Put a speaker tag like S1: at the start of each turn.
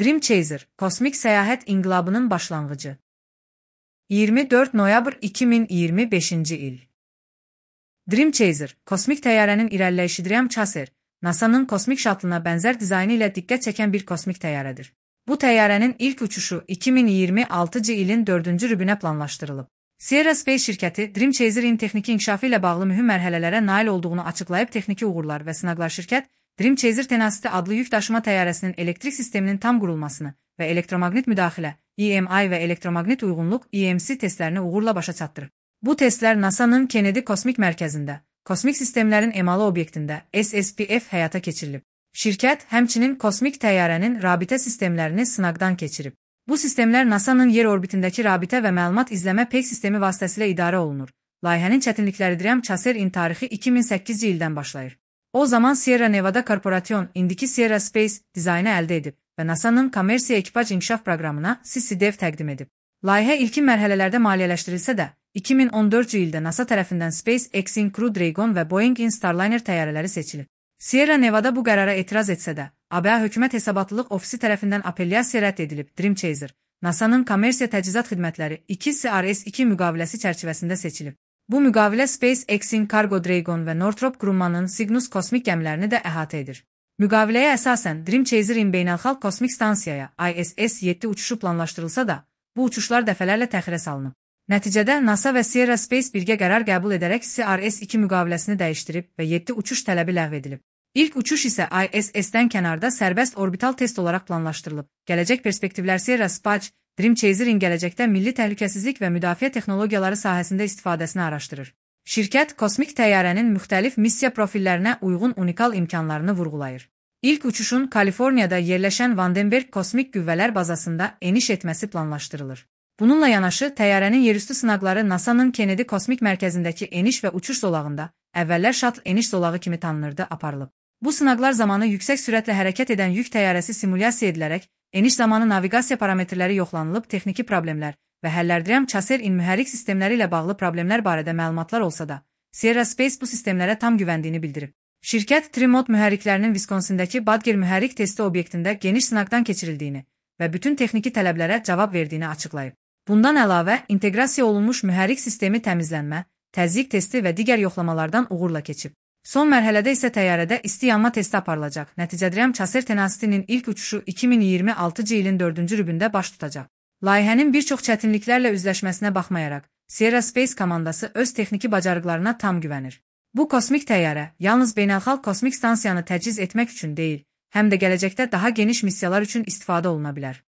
S1: Dream Chaser, kosmik səyahət inqilabının başlanğıcı. 24 noyabr 2025-ci il. Dream Chaser, kosmik təyyarənin irəliləyişi Dream Chaser, NASA-nın kosmik şattlına bənzər dizaynı ilə diqqət çəkən bir kosmik təyyarədir. Bu təyyarənin ilk uçuşu 2026-cı ilin 4-cü rübünə planlaşdırılıb. Sierra Space şirkəti Dream Chaser-in texniki inkişafı ilə bağlı mühüm mərhələlərə nail olduğunu açıqlayıb texniki uğurlar və sınaqlar şirkət Dream Chaser Tenacity adlı yük daşıma təyyarəsinin elektrik sisteminin tam qurulmasını və elektromaqnit müdaxilə EMI və elektromaqnit uyğunluq EMC testlərini uğurla başa çatdırır. Bu testlər NASA-nın Kennedy Kosmik Mərkəzində, kosmik sistemlərin emalı obyektində SSPF həyata keçirilib. Şirkət həmçinin kosmik təyyarənin rabitə sistemlərini sınaqdan keçirib. Bu sistemlər NASA-nın yer orbitindəki rabitə və məlumat izləmə PEG sistemi vasitəsilə idarə olunur. Layihənin çətinlikləri Dream Chaser-in tarixi 2008-ci ildən başlayır. O zaman Sierra Nevada Corporation, indiki Sierra Space dizaynı əldə edib və NASA-nın kommersiya ekipaj inkişaf proqramına CCDEV təqdim edib. Layihə ilkin mərhələlərdə maliyyələşdirilsə də, 2014-cü ildə NASA tərəfindən SpaceX-in Crew Dragon və Boeing-in Starliner təyyarələri seçilib. Sierra Nevada bu qərara etiraz etsə də, ABA Hökumət Hesabatlılıq Ofisi tərəfindən apellyasiya rədd edilib. Dream Chaser, NASA-nın kommersiya təchizat xidmətləri 2 CRS-2 müqaviləsi çərçivəsində seçilib. Bu müqavilə SpaceX-in Cargo Dragon və Northrop Grumman'ın Cygnus kosmik gəmilərini də əhatə edir. Müqaviləyə əsasən Dream Chaser-in beynəlxalq kosmik stansiyaya ISS-7 uçuşu planlaşdırılsa da, bu uçuşlar dəfələrlə təxirə salınıb. Nəticədə NASA və Sierra Space birgə qərar qəbul edərək CRS-2 müqaviləsini dəyişdirib və 7 uçuş tələbi ləğv edilib. İlk uçuş isə ISS-dən kənarda sərbəst orbital test olaraq planlaşdırılıb. Gələcək perspektivlər Sierra Space, Dream Chaser-in gələcəkdə milli təhlükəsizlik və müdafiə texnologiyaları sahəsində istifadəsini araşdırır. Şirkət kosmik təyyarənin müxtəlif missiya profillərinə uyğun unikal imkanlarını vurğulayır. İlk uçuşun Kaliforniyada yerləşən Vandenberg Kosmik Qüvvələr bazasında eniş etməsi planlaşdırılır. Bununla yanaşı, təyyarənin yerüstü sınaqları NASA-nın Kennedy Kosmik Mərkəzindəki eniş və uçuş zolağında, əvvəllər şаттl eniş zolağı kimi tanınırdı, aparılıb. Bu sınaqlar zamanı yüksək sürətlə hərəkət edən yük təyyarəsi simulyasiya edilərək, eniş zamanı naviqasiya parametrləri yoxlanılıb, texniki problemlər və həllər Dream Chaser-in mühərrik sistemləri ilə bağlı problemlər barədə məlumatlar olsa da, Sierra Space bu sistemlərə tam güvəndiyini bildirib. Şirkət Trimod mühərriklərinin Wisconsin-dəki Badger mühərrik testi obyektində geniş sınaqdan keçirildiyini və bütün texniki tələblərə cavab verdiyini açıqlayıb. Bundan əlavə, inteqrasiya olunmuş mühərrik sistemi təmizlənmə, təzyiq testi və digər yoxlamalardan uğurla keçib. Son mərhələdə isə təyyarədə isti yanma testi aparılacaq. Nəticədə Dream Chaser Tenacity-nin ilk uçuşu 2026-cı ilin 4-cü rübündə baş tutacaq. Layihənin bir çox çətinliklərlə üzləşməsinə baxmayaraq, Sierra Space komandası öz texniki bacarıqlarına tam güvənir. Bu kosmik təyyarə yalnız beynəlxalq kosmik stansiyanı təchiz etmək üçün deyil, həm də gələcəkdə daha geniş missiyalar üçün istifadə oluna bilər.